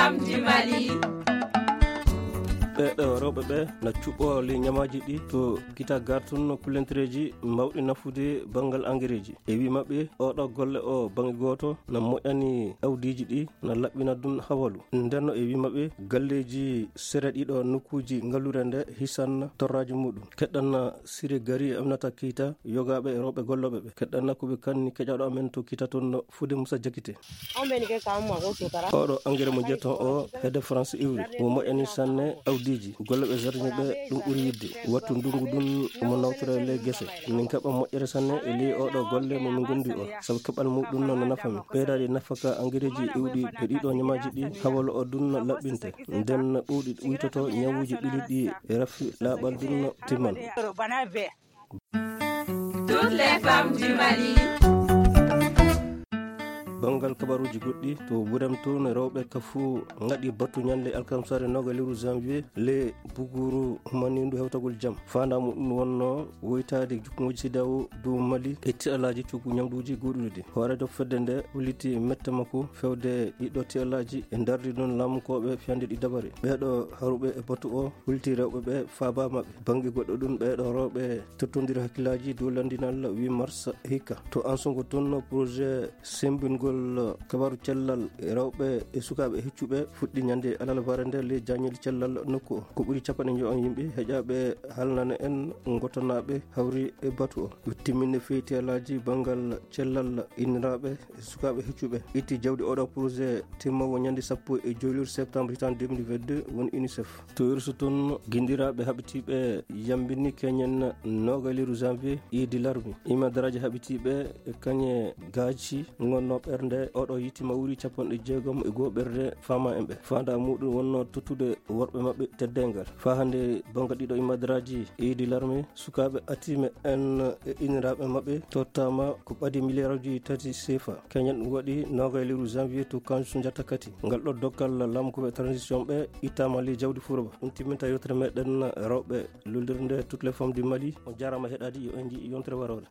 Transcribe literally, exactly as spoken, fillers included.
Femmes du Mali. Ɓeeɗo rewɓe ɓe na cuɓɓoo ley ñamaaji ɗi to kita gartun kulentereeji mawɗi nafude banngal angereeji. E wii maɓɓe, oɗo golle o bannge gooto na moƴƴani awdiiji ɗi, na laɓɓina ɗum hawalu. Ndenno e wii maɓɓe, galleeji sere ɗiɗo nokkuuji ngalluure nde hisan torraaji muɗum. Keɗɗan Siri Gari e Aminata Keita, yogaaɓe e rewɓe gollooɓe ɓe. Keɗɗan ko ɓe kanni keƴaaɗo amen to kita toon no Fude Musa Jakite. Oɗo engrais mo jeton o hedde France iwri. Mo moƴƴani sanne awdiiji. Gollooɓe jardin ɓe ɗum ɓuri yiɗde. Wattu ndungu ɗum omo nawtora e ley gese. Min kaɓa moƴƴere sanne e ley oɗo golle mo min gondi o. Sabu kaɓal muɗum no nafa min. Ɓeydaade nafaka engrais ji iwɗi e ɗiɗo ñamaaji ɗi hawalo o ɗum no laɓɓinte. Nden ɓuuɗi uytoto ñawuuji ɓiliɗi e rafi laaɓal ɗum no timman. Toutes les femmes du Mali. Banngal kabaruuji goɗɗi to Burem toon, rewɓe ka fuu ngaɗi batu ñande alkamsare nooga lewru janvier le buguru humanindu hewtagol jam. Faandaa muɗum wonno woytaade jukkuŋooji sidawo dow Mali e tiɗalaaji coggu ñamduuji goɗɗuɗi ɗi. Hooreejo fedde nde holliti mette makko fewde ɗiɗo tiɗalaaji e ndardi ɗum laamukooɓe fiyande ɗi dabare. Ɓeeɗo haruɓe e batu o holliti rewɓe ɓe faaba maɓɓe. Bannge goɗɗo ɗum ɓeeɗo rewɓe tottondira hakkillaaji dow lanndinal huit mars hikka. To Ansogo toon, projet sembingol kabaru cellal rewɓe e sukaaɓe heccuɓe fuɗɗi ñande alarba nde ley jaañel cellal nokku o. Ko ɓuri capanɗe njoyo yimɓe heƴaaɓe haalnana en ngotanaaɓe hawri e batu o. Ɓe timminne feytiyalaaji banngal cellal inniraaɓe e sukaaɓe heccuɓe. Itti jawdi oɗo projet timmowo ñande sappo e joyluru septembre hitan deux mille vingt-deux woni UNICEF. To Irsu toon, ginndiraaɓe haɓitiiɓe yambini keñen nooga lewru janvier, Idi Larmi. Imadaraaji haɓitiiɓe e kañe gaaci ngonno ɓernde oɗo yitima wuri capanɗe jeegom e goo ɓernde faama en ɓe. Faandaa muɗum wonno tottude worɓe maɓɓe teddeengal. Faa hannde banngal ɗiɗo imadaraaji Idi Larmi, sukaaɓe atiime en e inniraaɓe maɓɓe tottaama ko ɓadi miliyaaruuji tati seefa. Keñen ɗum waɗi nooga lewru janvier to Kansu Njatakati. Ngal ɗo dokkal laamukooɓe transition ɓe ittaama ley jawdi furoba. Ɗum timminta yewtere meɗen rewɓe lollirde toutes les femmes du Mali. On jaaraama heɗaade, yo en nji yontere waroore.